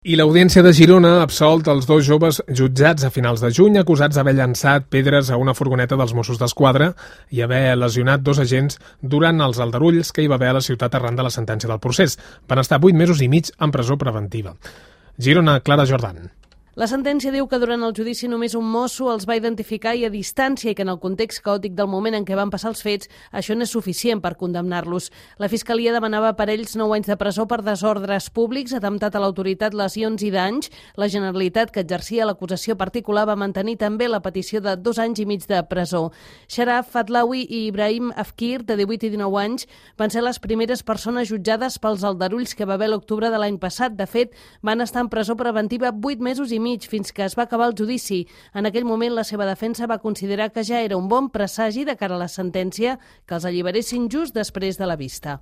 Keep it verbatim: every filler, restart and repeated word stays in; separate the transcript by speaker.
Speaker 1: I l'Audiència de Girona ha absolt els dos joves jutjats a finals de juny acusats d'haver llançat pedres a una furgoneta dels Mossos d'Esquadra i haver lesionat dos agents durant els aldarulls que hi va haver a la ciutat arran de la sentència del procés. Van estar vuit mesos i mig en presó preventiva. Girona, Clara Jordan.
Speaker 2: La sentència diu que durant el judici només un mosso els va identificar i a distància i que en el context caòtic del moment en què van passar els fets, això no és suficient per condemnar-los. La Fiscalia demanava per ells nou anys de presó per desordres públics, atemptat a l'autoritat, lesions i danys. La Generalitat, que exercia l'acusació particular, va mantenir també la petició de dos anys i mig de presó. Sharaf Fatlawi i Ibrahim Afkir, de divuit i dinou anys, van ser les primeres persones jutjades pels aldarulls que va haver l'octubre de l'any passat. De fet, van estar en presó preventiva vuit mesos i mig fins que es va acabar el judici. En aquell moment, la seva defensa va considerar que ja era un bon presagi de cara a la sentència que els alliberessin just després de la vista.